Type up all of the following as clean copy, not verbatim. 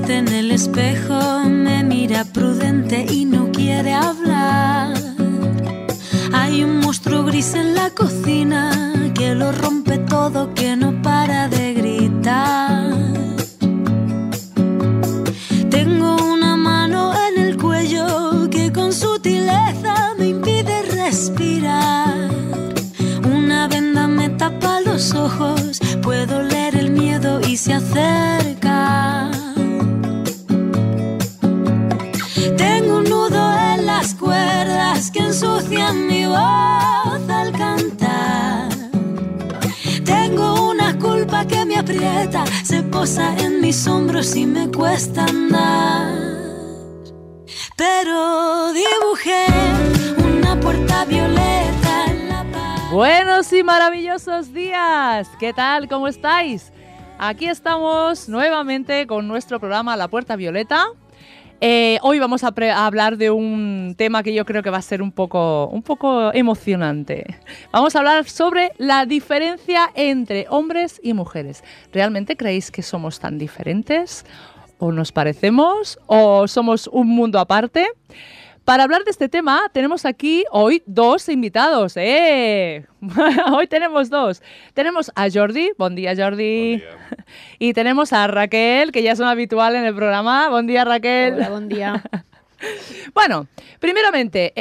triste en el espejo, me mira prudente y no quiere hablar. Hay un monstruo gris en la cocina que lo rompe todo, que no para de gritar. Tengo una mano en el cuello que con sutileza me impide respirar. Una venda me tapa los ojos, puedo leer el miedo y se acerca. Tengo un nudo en las cuerdas que ensucian mi voz al cantar. Tengo una culpa que me aprieta, se posa en mis hombros y me cuesta andar. Pero dibujé una puerta violeta en la pared. Buenos y maravillosos días. ¿Qué tal? ¿Cómo estáis? Aquí estamos nuevamente con nuestro programa La Puerta Violeta. Hoy vamos a hablar de un tema que yo creo que va a ser un poco emocionante. Vamos a hablar sobre la diferencia entre hombres y mujeres. ¿Realmente creéis que somos tan diferentes? ¿O nos parecemos? ¿O somos un mundo aparte? Para hablar de este tema tenemos aquí hoy dos invitados. Hoy tenemos dos. Tenemos a Jordi. Buen día, Jordi. Buen día. Y tenemos a Raquel, que ya es una habitual en el programa. Buen día, Raquel. Hola, buen día. Bueno, primeramente,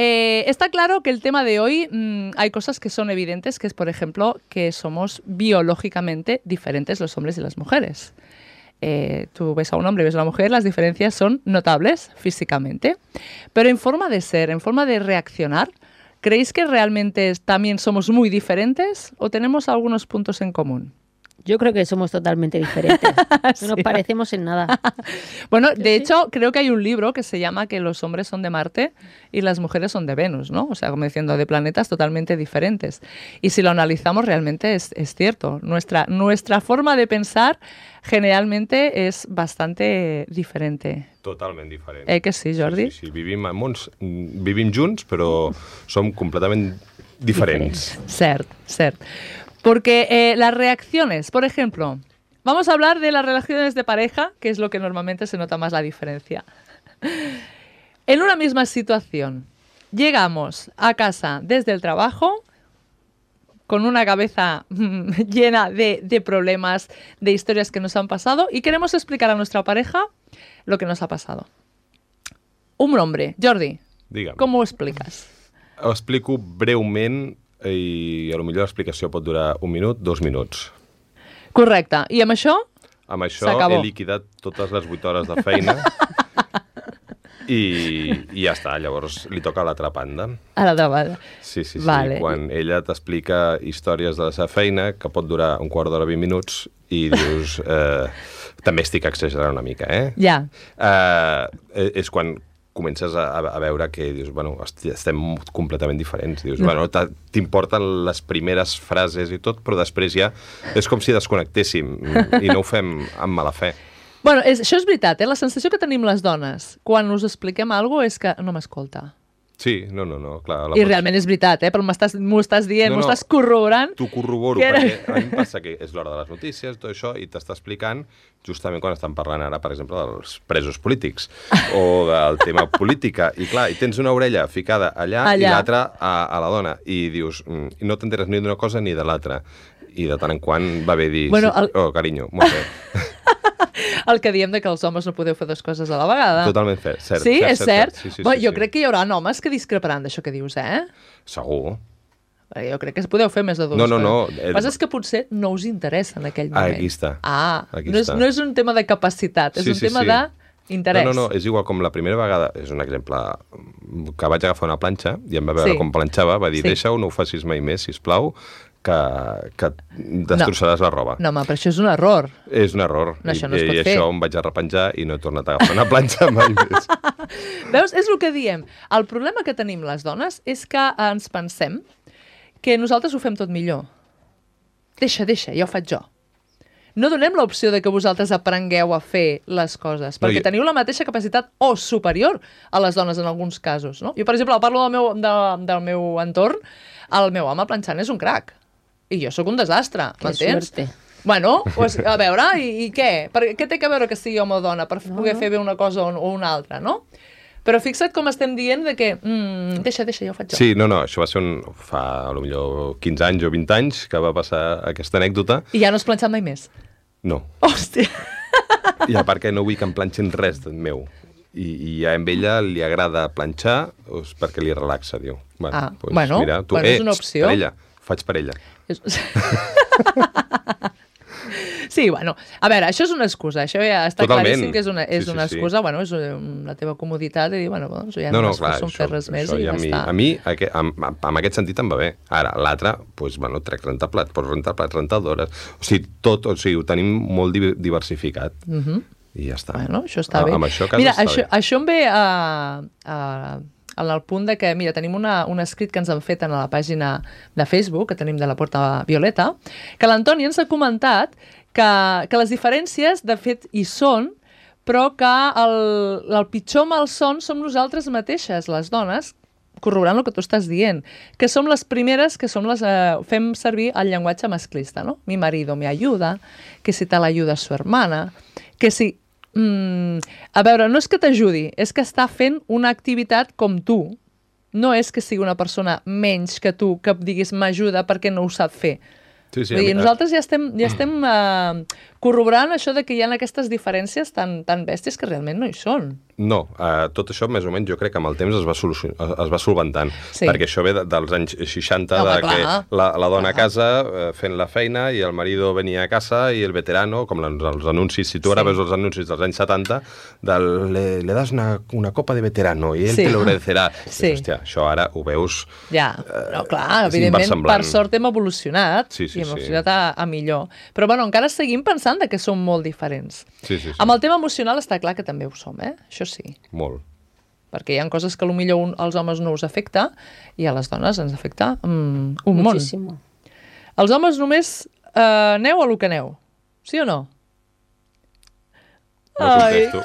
está claro que el tema de hoy hay cosas que son evidentes, que es, por ejemplo, que somos biológicamente diferentes los hombres y las mujeres. Tú ves a un hombre y ves a una mujer, las diferencias son notables físicamente. Pero en forma de ser, en forma de reaccionar, ¿creéis que realmente también somos muy diferentes o tenemos algunos puntos en común? Yo creo que somos totalmente diferentes. No nos parecemos en nada. Bueno, de hecho, creo que hay un libro que se llama que los hombres son de Marte y las mujeres son de Venus, ¿no? O sea, como diciendo, de planetas totalmente diferentes. Y si lo analizamos, realmente es cierto. Nuestra forma de pensar generalmente és bastante diferente. Totalment diferent. Que sí, Jordi? Sí. Vivim junts, però som completament diferents. Cert. Porque las reacciones, por ejemplo, vamos a hablar de las relaciones de pareja, que es lo que normalmente se nota más la diferencia. En una misma situación, llegamos a casa desde el trabajo con una cabeza llena de problemas, de historias que nos han pasado y queremos explicar a nuestra pareja lo que nos ha pasado. Un hombre, Jordi, Digue'm. ¿cómo ho expliques? Ho explico breument i potser l'explicació pot durar 1 minut, 2 minuts. Correcte. I amb això? Amb això s'acabó. he liquidat totes les 8 hores de feina i ja està. Llavors li toca a l'altra banda. A l'altra banda. Sí. Vale. Quan ella t'explica històries de la seva feina, que pot durar un quart d'hora, 20 minuts, i dius... també estic exagerant una mica, Ja. És quan comences a veure que dius, bueno, estem completament diferents. Dius, bueno, t'importen les primeres frases i tot, però després ja és com si desconnectéssim i no ho fem amb mala fe. Bueno, això és veritat, la sensació que tenim les dones quan us expliquem alguna cosa és que no m'escolta. Sí, no, clar. I realment és veritat, però m'ho estàs dient, m'ho estàs corroborant. T'ho corroboro, perquè a mi em passa que és l'hora de les notícies, tot això, i t'està explicant justament quan estan parlant ara, per exemple, dels presos polítics o del tema política. I clar, i tens una orella ficada allà. I l'altra a la dona. I dius, no t'enteres ni d'una cosa ni de l'altra. I de tant en quant va bé dir, bueno, oh, carinyo, molt bé. El que diem que els homes no podeu fer dues coses a la vegada. Totalment cert. Sí, és cert? Sí, Jo crec que hi haurà homes que discreparan d'això que dius, Segur. Jo crec que podeu fer més de dues coses. No. El que passa és que potser no us interessa en aquell moment. Aquí està. No és un tema de capacitat, és un tema d'interès. No, és igual com la primera vegada, és un exemple, que vaig agafar una planxa i em va veure com planxava, va dir, deixa-ho, no ho facis mai més, sisplau, que destrossaràs la roba. No, home, però això és un error. És un error. No, això no es pot fer. I això em vaig arrepenjar i no he tornat a agafar una planxa mai més. Veus? És el que diem. El problema que tenim les dones és que ens pensem que nosaltres ho fem tot millor. Deixa, ja ho faig jo. No donem l'opció de que vosaltres aprengueu a fer les coses, perquè teniu la mateixa capacitat o superior a les dones en alguns casos, no? Jo, per exemple, parlo del meu entorn, el meu home planxant és un crac, i jo sóc un desastre, m'entens? Bueno, pues, a veure, i què? Què té que veure que sigui home o dona per poder fer bé una cosa o una altra, no? Però fixa't com estem dient de que deixa, ja ho faig jo. Sí, no, això va ser fa potser 15 anys o 20 anys que va passar aquesta anècdota. I ja no has planxat mai més? No. Hòstia! I a part que no vull que em planxin res meu. I a ella li agrada planxar perquè li relaxa, diu. Bueno, mira, tu, és una opció. Per ella, faig per ella. Sí, bueno, a veure, això és una excusa, això ja està claríssim que és una excusa, bueno, és la teva comoditat de dir, bueno, doncs ja no m'esforço en fer res més i ja està. A mi, en aquest sentit em va bé. Ara, l'altre, doncs, bueno, trec rentaplats, pots rentar plats, rentadores, o sigui, tot, o sigui, ho tenim molt diversificat. I ja està. Bueno, això està bé. Amb això a casa mira, està bé. Això em ve en el punt de que, mira, tenim un escrit que ens han fet a la pàgina de Facebook, que tenim de la Porta Violeta, que l'Antoni ens ha comentat que les diferències, de fet, hi són, però que el pitjor malson som nosaltres mateixes, les dones, corroborant el que tu estàs dient, que som les primeres que fem servir el llenguatge masclista, no? Mi marido me ayuda, que si te l'ayuda su hermana, que si... a veure, no és que t'ajudi, és que està fent una activitat com tu. No és que sigui una persona menys que tu, que diguis m'ajuda perquè no ho sap fer. Sí, Vull dir, nosaltres ja estem corroborant això de que hi ha aquestes diferències tan bèsties que realment no hi són. No, tot això més o menys jo crec que amb el temps es va solventant, perquè això ve dels anys 60, que la dona a casa fent la feina i el marido venia a casa i el veterano, com els anuncis, si tu ara veus els anuncis dels anys 70, le das una copa de veterano i ell te lo agradecerà. Hòstia, això ara ho veus... Ja, no, clar, evidentment, per sort hem evolucionat i hem evolucionat a millor. Però bueno, encara seguim pensant que som molt diferents. Amb el tema emocional està clar que també ho som, això sí. Molt. Perquè hi ha coses que potser als homes no us afecta i a les dones ens afecta un món. Els homes només aneu a lo que aneu, sí o no? No contesto.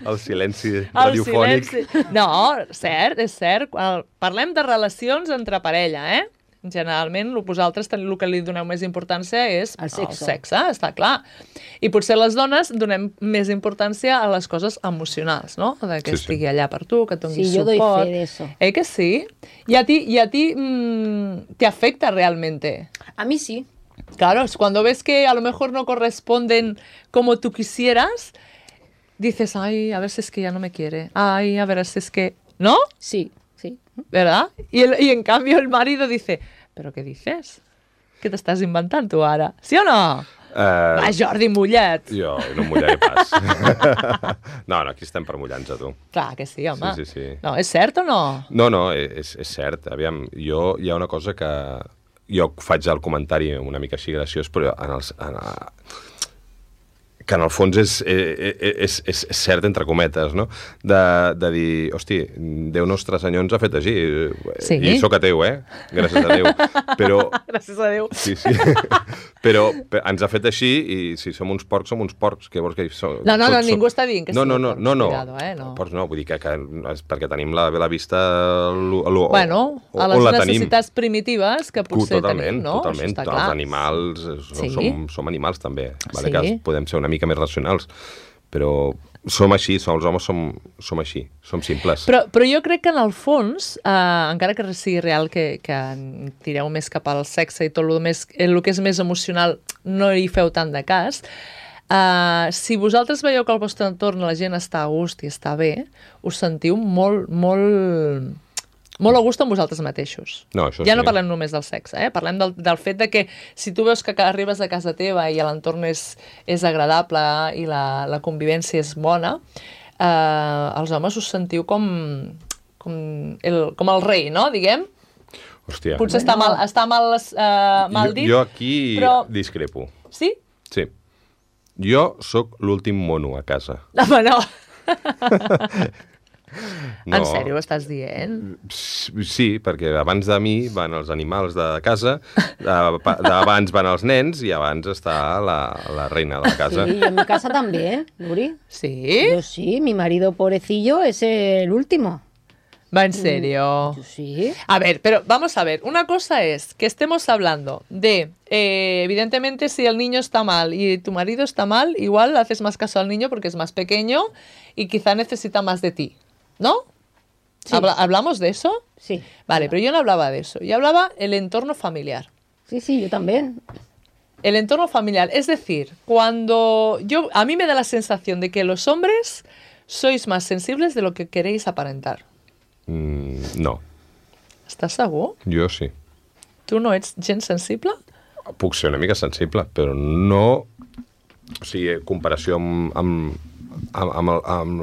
El silenci radiofònic. No, cert, és cert. Parlem de relacions entre parella, Generalment, vosaltres el que li doneu més importància és el sexe, està clar. I potser les dones donem més importància a les coses emocionals, no? De que estigui allà per tu, que et doni suport. Sí, yo doy fe de eso. Que sí? Y a ti te afecta realmente. A mí sí. Claro, es cuando ves que a lo mejor no corresponden como tú quisieras, dices, ay, a ver si es que ya no me quiere. Ay, a ver si es que... ¿No? Sí, sí. ¿Verdad? Y en cambio el marido dice, ¿pero qué dices? ¿Qué te estás inventando tú ahora? ¿Sí o no? Va, Jordi, mulla't. Jo no em mullaré pas. No, aquí estem per mullar-nos a tu. Clar que sí, home. Sí. No, és cert o no? No, és cert. Aviam, hi ha una cosa que... Jo faig el comentari una mica així graciós, però que en el fons és cert, entre cometes, no? De dir, hosti, Déu Nostre Senyor ens ha fet així. Sí. I sóc ateu, gràcies a Déu. Però... Gràcies a Déu. Sí. Però ens ha fet així i si som uns porcs, som uns porcs. Què vols que som? No, ningú està dient que no. Cuidado, no. Porcs no, vull dir que és perquè tenim la vista bueno, a les necessitats primitives que potser tenim, no? Totalment. Els animals, som animals també, que podem ser una mica més racionals, però som així, els homes som així, som simples. Però jo crec que en el fons, encara que sigui real que tireu més cap al sexe i tot el que és més emocional no hi feu tant de cas, si vosaltres veieu que al vostre entorn la gent està a gust i està bé, us sentiu molt a gust amb vosaltres mateixos. No, això ja no parlem només del sexe, parlem del fet de que si tu veus que arribes a casa teva i l'entorn és agradable i la convivència és bona, els homes us sentiu com el rei, no? Diguem. Hòstia. Potser està mal dit. Jo aquí discrepo. Sí? Sí. Jo sóc l'últim mono a casa. Home, no. No. En sèrio, estàs dient? Sí, perquè abans de mi van els animals de casa, abans van els nens i abans està la reina de la casa. Sí, en mi casa también, Nuri. Sí? Yo sí, mi marido pobrecillo es el último. ¿Va en serio? Sí. A ver, pero vamos a ver. Una cosa es que estemos hablando de, evidentemente, si el niño está mal y tu marido está mal, igual haces más caso al niño porque es más pequeño y quizá necesita más de ti, ¿no? Sí. ¿Hablamos de eso? Sí. Vale, pero yo no hablaba de eso. Yo hablaba el entorno familiar. Sí, yo también. El entorno familiar. Es decir, cuando a mí me da la sensación de que los hombres sois más sensibles de lo que queréis aparentar. No, Estàs segur? jo sí. Tu no ets gens sensible? Puc ser una mica sensible, però no... O sigui, comparació amb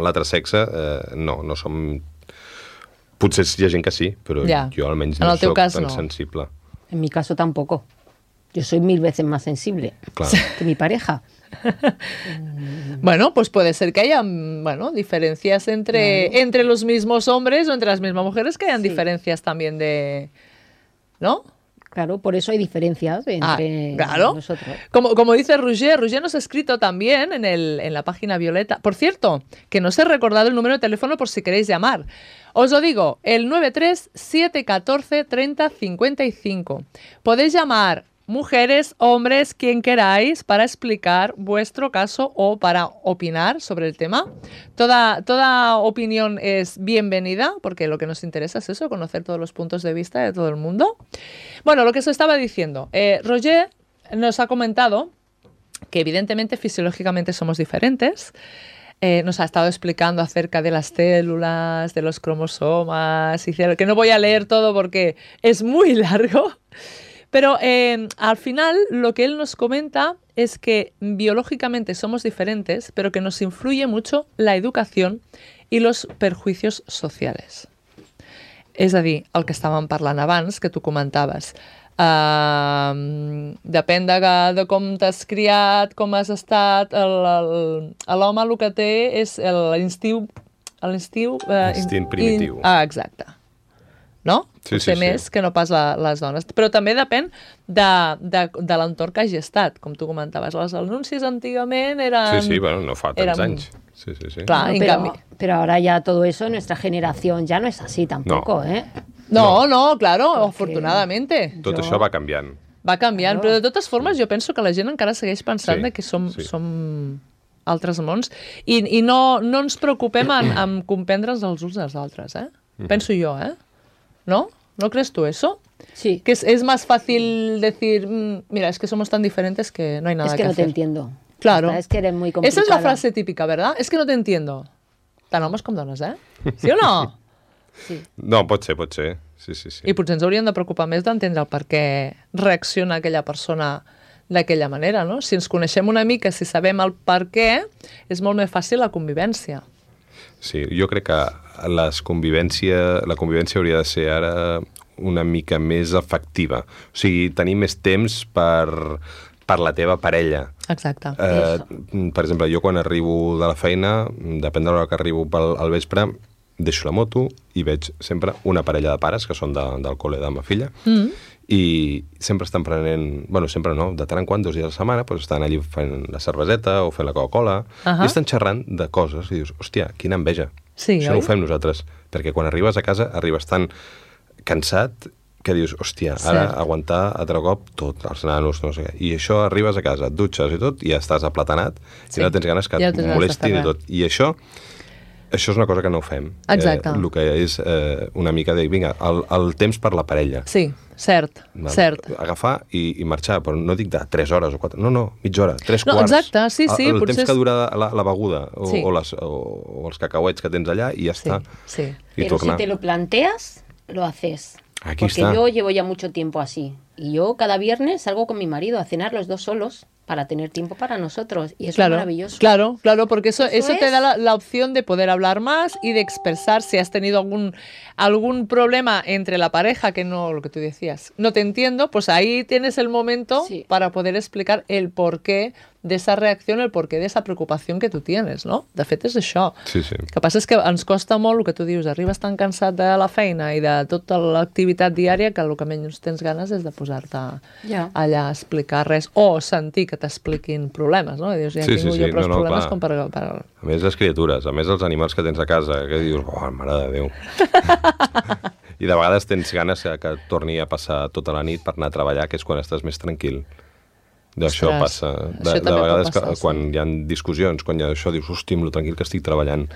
l'altre sexe, no som... Potser hi ha gent que sí, però Ja. jo almenys En no el teu soc cas, tan no. sensible. En mi caso tampoco. Yo soy 1000 veces más sensible Clar. que mi pareja. Bueno, pues puede ser que haya, diferencias entre los mismos hombres o entre las mismas mujeres, que hayan Sí. diferencias también de... ¿No? Claro, por eso hay diferencias entre claro. nosotros. Como dice Roger nos ha escrito también en la página Violeta. Por cierto, que no os he recordado el número de teléfono por si queréis llamar. Os lo digo, el 93-714-30-55. Podéis llamar, mujeres, hombres, quien queráis, para explicar vuestro caso o para opinar sobre el tema. Toda opinión es bienvenida, porque lo que nos interesa es eso, conocer todos los puntos de vista de todo el mundo. Bueno, lo que os estaba diciendo, Roger nos ha comentado que evidentemente fisiológicamente somos diferentes. Nos ha estado explicando acerca de las células, de los cromosomas, que no voy a leer todo porque es muy largo. Pero al final lo que él nos comenta es que biológicamente somos diferentes, pero que nos influye mucho la educación y los perjuicios sociales. És a dir, el que estàvem parlant abans, que tu comentaves. Depèn de com t'has criat, com has estat, l'home el que té és l'instint primitiu. Exacte. No? Sí, Potser sí, més sí. que no pas les dones. Però també depèn de l'entorn que hagi estat, com tu comentaves. Els anuncis antigament eren... Sí, bueno, no fa tants anys. Sí. Clar, No, en pero, canvi... pero ahora ya todo eso, nuestra generación ya no es así tampoco, ¿eh? No, claro, Perquè- afortunadamente. Tot Jo- això va canviant. Va canviant, Claro. però de totes formes jo penso que la gent encara segueix pensant Sí, de que som sí. altres mons i no ens preocupem en comprendre'ns els uns als altres, eh? Penso jo, ¿eh? ¿No? ¿No crees tú eso? Sí, Que es más fácil decir, mira, es que somos tan diferentes que no hay nada es que no te hacer. entiendo. Claro. Es que eres muy complicada. Esa es la frase típica, ¿verdad? Es que no te entiendo. Tant homes com dones, eh? Sí o no? Sí. No, pot ser. Sí. I potser ens hauríem de preocupar més d'entendre el per què reacciona aquella persona d'aquella manera, no? Si ens coneixem una mica, si sabem el per què, és molt més fàcil la convivència. Sí, jo crec que la convivència hauria de ser ara una mica més efectiva. O sigui, tenir més temps per la teva parella. Exacte. Per exemple, jo quan arribo de la feina, depèn de l'hora que arribo al vespre, deixo la moto i veig sempre una parella de pares, que són del col·le de la meva filla, i sempre estan prenent... Bueno, sempre no, de tant en quant, 2 dies a la setmana, doncs estan allí fent la cerveseta o fent la Coca-Cola, i estan xerrant de coses, i dius, hòstia, quina enveja. Sí, Això oi? no ho fem nosaltres, perquè quan arribes a casa arribes tan cansat que dius, hòstia, ara Cert. aguantar altre cop tot, els nanos, no sé què. I això arribes a casa, et dutxes i tot, i ja estàs aplatanat, Sí. i no tens ganes que Ja et no tens ganes molestin d'estar i tot. I això és una cosa que no fem. Exacte. El que és una mica de, vinga, el temps per la parella. Sí, cert, Val? cert. Agafar i marxar, però no dic de 3 hores o 4, no, mitja hora, 3 No, quarts. exacte, sí, El potser temps que és- dura la beguda o, Sí. o els cacauets que tens allà i ja Sí, està. sí. I Pero tornar. si te lo planteas, lo haces. Aquí Porque está. yo llevo ya mucho tiempo así. Y yo cada viernes salgo con mi marido a cenar los dos solos para tener tiempo para nosotros. Y eso es maravilloso. Claro, porque eso te es. da la opción de poder hablar más y de expresar si has tenido algún problema entre la pareja, que no, lo que tú decías, no te entiendo, pues ahí tienes el momento Sí. para poder explicar el porqué de esa reacción, el porqué de esa preocupación que tu tienes, no? De fet, és això. Sí, sí. El que passa és que ens costa molt el que tu dius, arribes tan cansat de la feina i de tota l'activitat diària que el que menys tens ganes és de posar-te allà a explicar res o sentir que t'expliquin problemes, no? I dius, ja tinc jo prou problemes com per... A més, les criatures, a més, els animals que tens a casa, que dius, mare de Déu. I de vegades tens ganes que torni a passar tota la nit per anar a treballar, que és quan estàs més tranquil. D'això passa. De vegades quan hi ha discussions, quan hi ha això, dius, hosti, amb lo tranquil que estic treballant.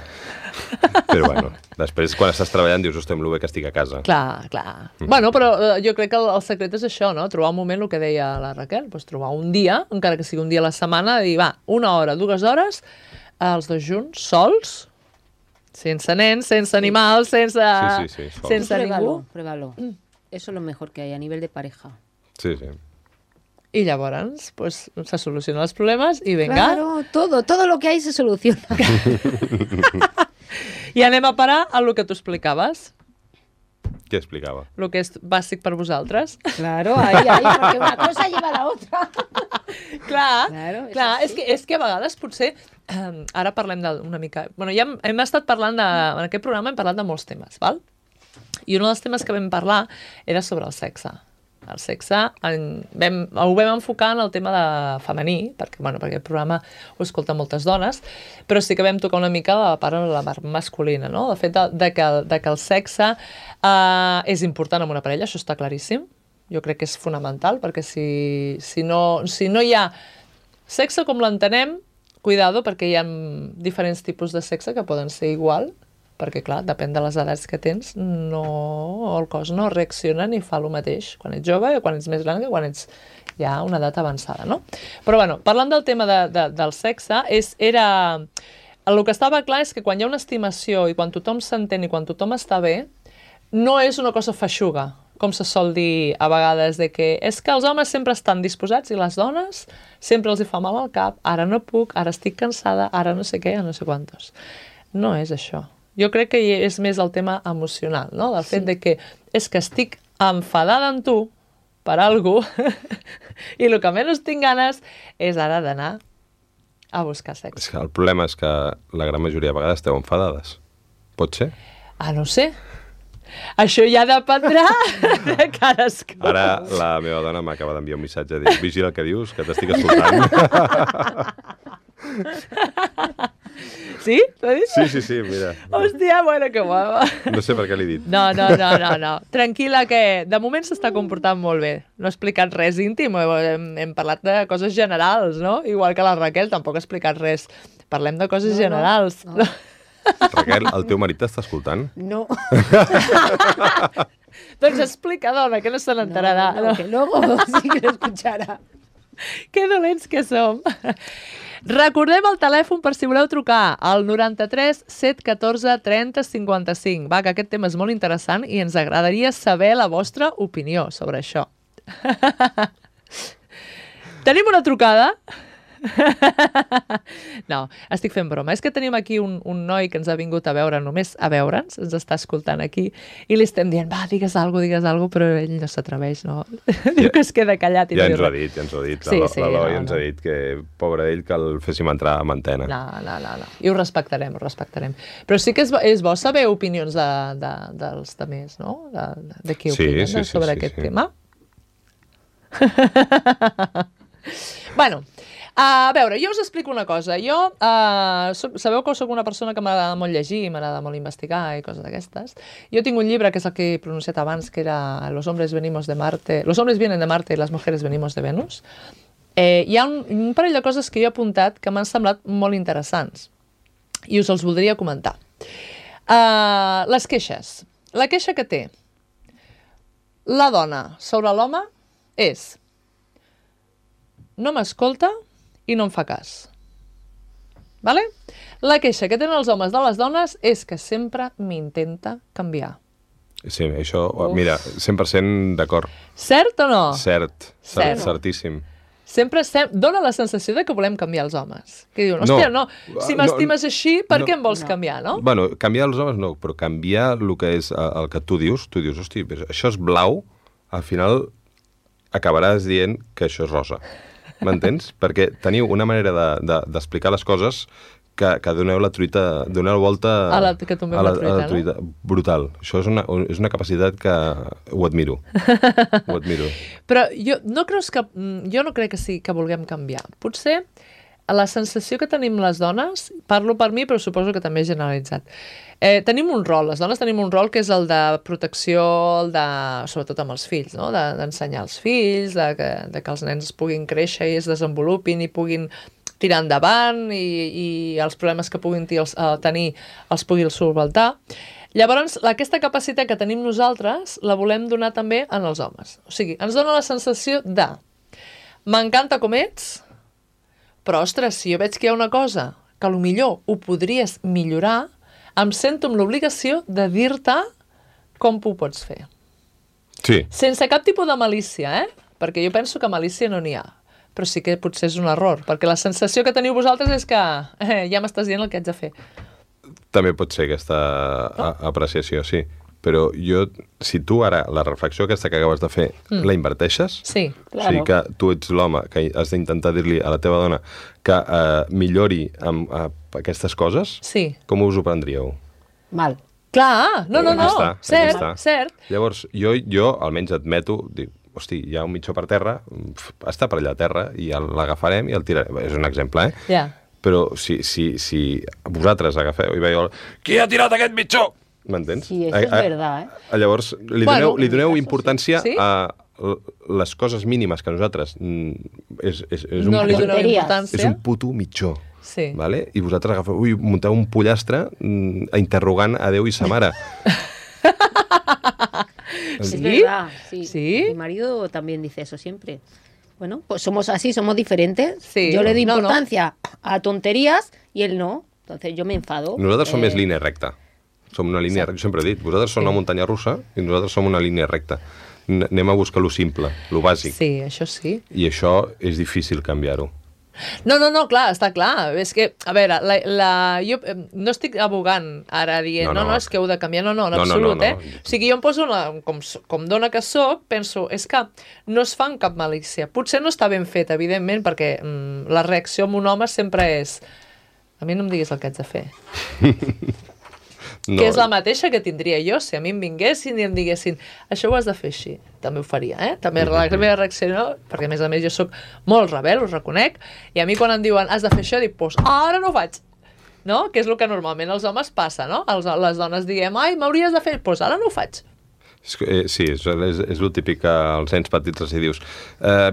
Però bueno, després quan estàs treballant dius, hosti, amb lo bé que estic a casa. Clar. Bueno, però jo crec que el secret és això, no? Trobar un moment, el que deia la Raquel, doncs trobar un dia, encara que sigui un dia a la setmana, de dir, va, 1 hora, 2 hores, els dos junts, sols, sense nens, sense animals, sense ningú. Pruébalo. Eso es lo mejor que hay a nivel de pareja. Sí. I llavors, pues, se solucionen els problemes i venga. Claro, todo lo que hay se soluciona. I anem a parar a lo que tu explicaves. Què explicava? Lo que és bàsic per vosaltres. Claro, ahí, porque una cosa lleva a la otra. Clar, és que a vegades potser... ara parlem una mica... Bueno, ja hem estat parlant en aquest programa hem parlat de molts temes, val? I un dels temes que vam parlar era sobre el sexe. El sexe ho vam enfocar en el tema de femení, perquè aquest programa ho escolten moltes dones, però sí que vam tocar una mica la part masculina, no? El fet de que el sexe és important en una parella, això està claríssim. Jo crec que és fonamental, perquè si no hi ha sexe com l'entenem, cuidado, perquè hi ha diferents tipus de sexe que poden ser igual, perquè, clar, depèn de les edats que tens, el cos no reacciona ni fa el mateix quan ets jove o quan ets més gran que quan ets ja a una edat avançada, no? Però, bueno, parlant del tema del sexe, el que estava clar és que quan hi ha una estimació i quan tothom s'entén i quan tothom està bé, no és una cosa feixuga, com se sol dir a vegades, de que és que els homes sempre estan disposats i les dones sempre els hi fa mal al cap, ara no puc, ara estic cansada, ara no sé què, no sé quantos. No és això. Jo crec que és més el tema emocional, no? Del fet de que és que estic enfadada amb tu per alguna cosa i el que menys tinc ganes és ara d'anar a buscar sexe. És que el problema és que la gran majoria de vegades esteu enfadades. Pot ser? No sé. Això ja dependrà de cadascú. Ara la meva dona m'acaba d'enviar un missatge dient, vigila el que dius, que t'estic escoltant. Sí? T'ho he dit? Sí, mira. Hòstia, bueno, que guapa. No sé per què l'he dit. No. Tranquil·la, que de moment s'està comportant molt bé. No he explicat res íntim, hem parlat de coses generals, no? Igual que la Raquel, tampoc ha explicat res. Parlem de coses generals. No. Raquel, el teu marit t'està escoltant? No. Doncs explica, dona, que no se n'enterarà. No, que luego sí que lo escucharà. Que dolents que som. Recordem el telèfon per si voleu trucar, al 93 714 30 55. Va, que aquest tema és molt interessant i ens agradaria saber la vostra opinió sobre això. Tenim una trucada? No, estic fent broma. És que tenim aquí un noi que ens ha vingut a veure, només a veure'ns, ens està escoltant aquí, i li estem dient, va, digues alguna cosa, però ell no s'atreveix, no? Diu que es queda callat i ja no ens ho ha dit. L'Eloi ens ha dit que, pobre d'ell, que el féssim entrar a antena. No. I ho respectarem. Però sí que és bo saber opinions dels altres, no? De qui opinen sobre aquest tema. Bueno, a veure, jo us explico una cosa. Jo, sabeu que soc una persona que m'agrada molt llegir, m'agrada molt investigar i coses d'aquestes. Jo tinc un llibre que és el que he pronunciat abans, que era Los hombres vienen de Marte y las mujeres venimos de Venus. Hi ha un parell de coses que jo he apuntat que m'han semblat molt interessants i us els voldria comentar. Les queixes. La queixa que té la dona sobre l'home és: no m'escolta i no em fa cas. Vale? La queixa que tenen els homes de les dones és que sempre m'intenta canviar. Sí, això, mira, 100% d'acord. Cert o no? Certíssim. Sempre dona la sensació de que volem canviar els homes. Que diuen, hòstia, no, si m'estimes així, per què em vols canviar, no? Bueno, canviar els homes no, però canviar el que és el que tu dius, hòstia, això és blau, al final acabaràs dient que això és rosa. m'entens? Perquè teniu una manera d'explicar les coses que doneu la volta A la truita, no? Brutal. Això és una capacitat que ho admiro. Ho admiro. Però jo no crec que sí que vulguem canviar. Potser la sensació que tenim les dones, parlo per mi, però suposo que també és generalitzat. Tenim un rol, les dones tenim un rol que és el de protecció, sobretot amb els fills, no? D'ensenyar els fills, de que els nens puguin créixer i es desenvolupin i puguin tirar endavant i els problemes que puguin tenir els puguin solventar. Llavors, aquesta capacitat que tenim nosaltres la volem donar també en els homes. O sigui, ens dona la sensació de m'encanta com ets, però, ostres, si jo veig que hi ha una cosa que potser ho podries millorar, em sento amb l'obligació de dir-te com ho pots fer. Sí. Sense cap tipus de malícia, perquè jo penso que malícia no n'hi ha. Però sí que potser és un error, perquè la sensació que teniu vosaltres és que ja m'estàs dient el que haig de fer. També pot ser aquesta apreciació, sí. Però si tu ara la reflexió aquesta que acabes de fer la inverteixes, sí, claro. O sigui que tu ets l'home que has d'intentar dir-li a la teva dona que millori amb aquestes coses, sí. Com us ho prendríeu? Mal. Clar, no, cert. Llavors, jo almenys admeto, dic, hosti, hi ha un mitjó per terra, està per allà a terra, i l'agafarem i el tirarem. És un exemple, Ja. Però si vosaltres agafeu i veieu qui ha tirat aquest mitjó? M'entens? Sí, això és verdad, Llavors, li doneu importància sí. a les coses mínimes que nosaltres no li doneu importància. És un puto mitjó. Sí. Vale? I vosaltres agafeu, munteu un pollastre interrogant a Déu i sa mare. ¿Sí? Es verdad, sí. ¿Sí? Mi marido también dice eso siempre. Bueno, pues somos así, somos diferentes. Sí. Yo le doy importancia a tonterías y él no. Entonces yo me enfado. Nosaltres som més línia recta. Som una línia recta, jo sempre he dit. Vosaltres som una muntanya russa i nosaltres som una línia recta. Anem a buscar lo simple, lo bàsic. Sí, això sí. I això és difícil canviar-ho. No, clar, està clar. És que, a veure, jo no estic abogant ara dient, no, és que heu de canviar, no, en absolut, O sigui, jo em poso, com dona que soc, penso, és que no es fa amb cap malícia. Potser no està ben fet, evidentment, perquè la reacció amb un home sempre és a mi no em diguis el que haig de fer. No. Que és la mateixa que tindria jo, si a mi em vinguessin i em diguessin això ho has de fer així, també ho faria, també la meva reacció, perquè a més jo soc molt rebel, us reconec, i a mi quan em diuen has de fer això, dic, doncs ara no ho faig, no? Que és el que normalment als homes passa, no? Les dones diguem, ai, m'hauries de fer, doncs ara no ho faig. Sí, és el típic que als nens petits els dius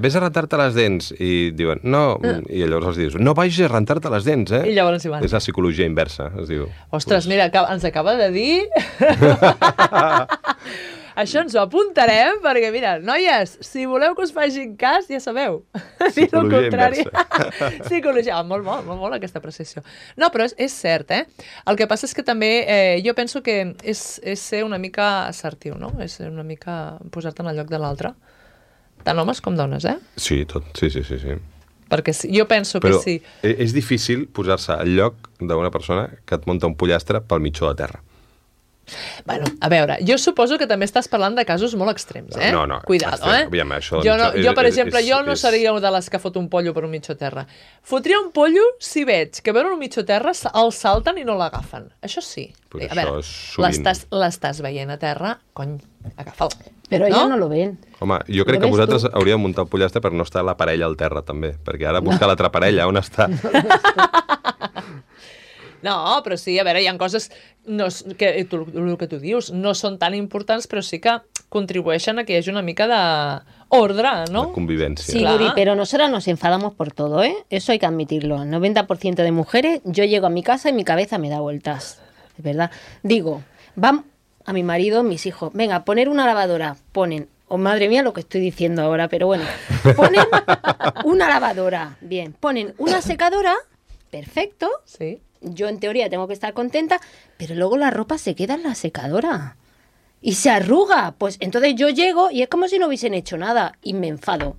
vés a rentar-te les dents, i diuen no, i llavors els dius no vagis a rentar-te les dents, I llavors hi van. És la psicologia inversa, es diu. Ostres, mira, ens acaba de dir això ens ho apuntarem, perquè mira, noies, si voleu que us facin cas, ja sabeu. Psicologia inversa. Psicologia, molt aquesta precisió. No, però és cert, El que passa és que també jo penso que és ser una mica assertiu, no? És una mica posar-te en el lloc de l'altre. Tant homes com dones, Sí, tot, sí. Perquè jo penso que sí. Però és difícil posar-se al lloc d'una persona que et munta un pollastre pel mitjó de terra. Bueno, a veure, jo suposo que també estàs parlant de casos molt extrems, No. Cuidado, Aviam, això, jo, per exemple, no seria de les que fot un pollo per un mitjó terra. Fotria un pollo si veig que veuen un mitjó terra el salten i no l'agafen. Això sí. Pues a veure, l'estàs veient a terra, cony, agafa'l. Però ells no lo ven. Home, jo crec que vosaltres hauríeu de muntar el pollastre per no estar la parella al terra, també. Perquè ara buscar l'altra parella, on està? No, però sí, a veure, hi ha coses que el que tu dius no són tan importants, però sí que contribueixen a que hi hagi una mica d'ordre, ¿no? De convivència. Sí, Guri, pero nosotras nos enfadamos por todo, Eso hay que admitirlo. El 90% de mujeres, yo llego a mi casa y mi cabeza me da vueltas. Es verdad. Digo, van a mi marido, mis hijos, venga, poner una lavadora. Ponen, madre mía lo que estoy diciendo ahora, pero bueno. Ponen una lavadora, bien. Ponen una secadora, perfecto. Sí. Yo en teoría tengo que estar contenta, pero luego la ropa se queda en la secadora y se arruga. Pues entonces yo llego y es como si no hubiesen hecho nada y me enfado.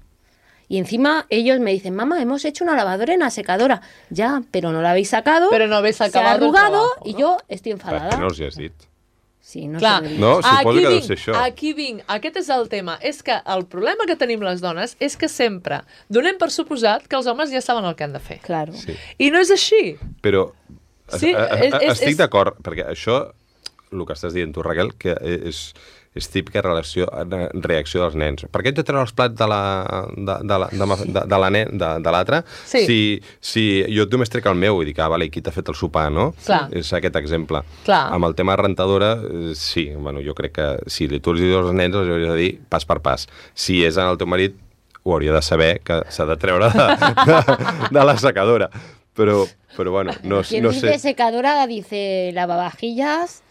Y encima ellos me dicen, mamá, hemos hecho una lavadora en la secadora. Ya, pero no la habéis sacado. Pero no habéis acabado se ha arrugado el trabajo, ¿no? Y yo estoy enfadada. Per què no els hi has dit? Sí, no Clar, sé què dir. No, suposo aquí que deu vinc, ser això. aquí vinc. Aquest és el tema. És que el problema que tenim les dones és que sempre donem per suposat que els homes ja saben el que han de fer. Claro. Sí. I no és així. Però Sí, estic d'acord, perquè això, el que estàs dient tu, Raquel, que és típica reacció dels nens. Per què ets de treure els plats de l'altre? Sí. Si jo només trec el meu i dic, vale, qui t'ha fet el sopar, no? Clar. És aquest exemple. Clar. Amb el tema de rentadora, sí, bueno, jo crec que si tu els dius als nens, els hauries de dir pas per pas. Si és en el teu marit, ho hauria de saber que s'ha de treure de la secadora. Pero bueno, no Quien sé. dice secadora dice lavavajillas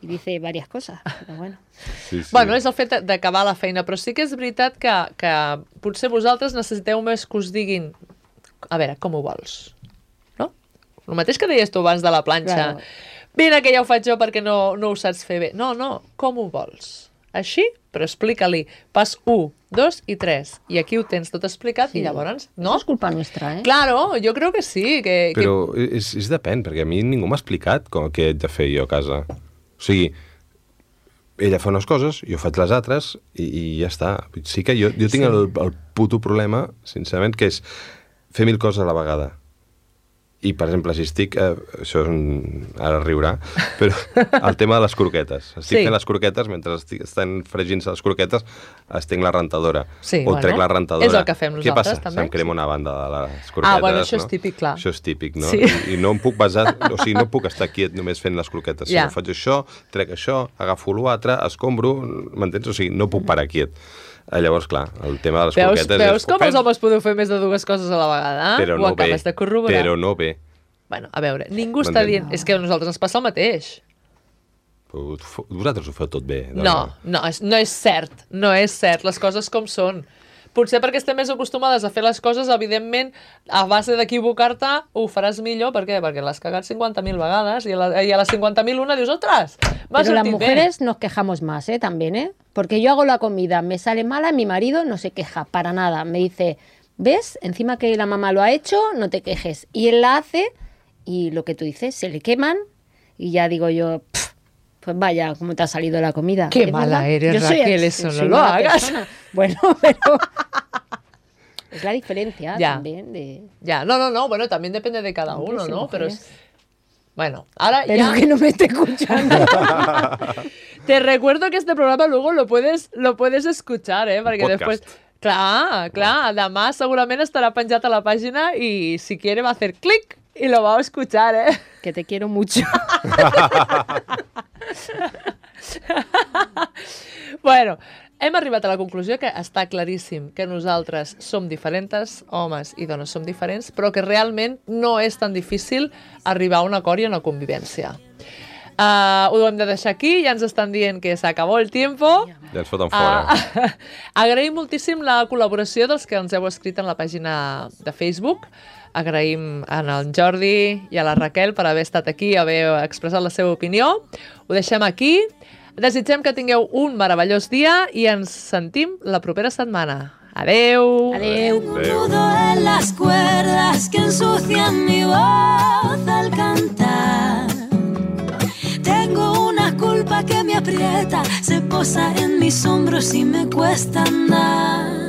y dice varias cosas. Pero bueno. Sí. Bueno, és el fet d'acabar la feina, però sí que és veritat que potser vosaltres necessiteu més que us diguin a veure, com ho vols? No? El mateix que deies tu abans de la planxa. Claro. Mira que ja ho faig jo perquè no ho saps fer bé. No, com ho vols? Així, però explica-li pas 1, 2 i 3. I aquí ho tens tot explicat i llavors, no? No es culpa nuestra, ¿eh? Claro, jo crec que sí. Però és depèn, perquè a mi ningú m'ha explicat què he de fer jo a casa. O sigui, ella fa unes coses, jo faig les altres i ja està. Sí que jo tinc el puto problema, sincerament, que és fer 1000 coses a la vegada. I, per exemple, si estic... això és ara riurà, però el tema de les croquetes. Estic fent les croquetes, mentre estan fregint-se les croquetes, estenc la rentadora. Sí, o trec la rentadora. és el que fem nosaltres, Què passa? també. Se'm crema una banda de les croquetes. Bueno, això és típic, clar. Això és típic, no? Sí. I no em puc basar... O sigui, no puc estar quiet només fent les croquetes. Si no faig això, trec això, agafo l'altre, escombro, m'entens? O sigui, no puc parar quiet. Llavors, clar, el tema de les croquetes... Veus com els homes podeu fer més de 2 coses a la vegada? Però Ho acabes de corroborar. Però no bé. Bueno, a veure, ningú està dient... És que a nosaltres ens passa el mateix. Vosaltres ho feu tot bé. No és cert. No és cert. Les coses com són. Potser perquè estem més acostumades a fer les coses, evidentment, a base d'equivocar-te, ho faràs millor. Per què? Perquè l'has cagat 50.000 vegades i a les 50.000 una dius, ostres, m'ha Pero las sortit bé. mujeres nos quejamos más, también, ¿eh? Porque yo hago la comida, me sale mala, mi marido no se queja para nada. Me dice, ¿ves? Encima que la mamá lo ha hecho, no te quejes. Y él la hace y lo que tú dices, se le queman y ya digo yo, pues vaya, ¿cómo te ha salido la comida? Qué ¿Es mala verdad? eres, Yo soy Raquel, así, eso no soy lo mala hagas. persona. Bueno, pero es la diferencia Ya. también de... Ya, no, bueno, también depende de cada uno, Hombres y ¿no? Pero mujeres. bueno, ahora Pero ya... que no me esté escuchando. Te recuerdo que este programa luego lo puedes escuchar, Perquè podcast. després... Clar, demà segurament estarà penjat a la pàgina i si quiere va a hacer clic y lo va a escuchar, Que te quiero mucho. Bueno, hem arribat a la conclusió que està claríssim que nosaltres som diferents, homes i dones som diferents, però que realment no és tan difícil arribar a un acord i a una convivència. Ho hem de deixar aquí, ja ens estan dient que s'acabó el tiempo. Ja ens foten fora. Agraïm moltíssim la col·laboració dels que ens heu escrit en la pàgina de Facebook. Agraïm a en Jordi i a la Raquel per haver estat aquí i haver expressat la seva opinió. Ho deixem aquí. Desitgem que tingueu un meravellós dia i ens sentim la propera setmana. Adeu! Adeu. Tengo un nudo en las cuerdas que ensucian mi voz al cantar. Tengo una culpa que me aprieta, se posa en mis hombros y me cuesta andar.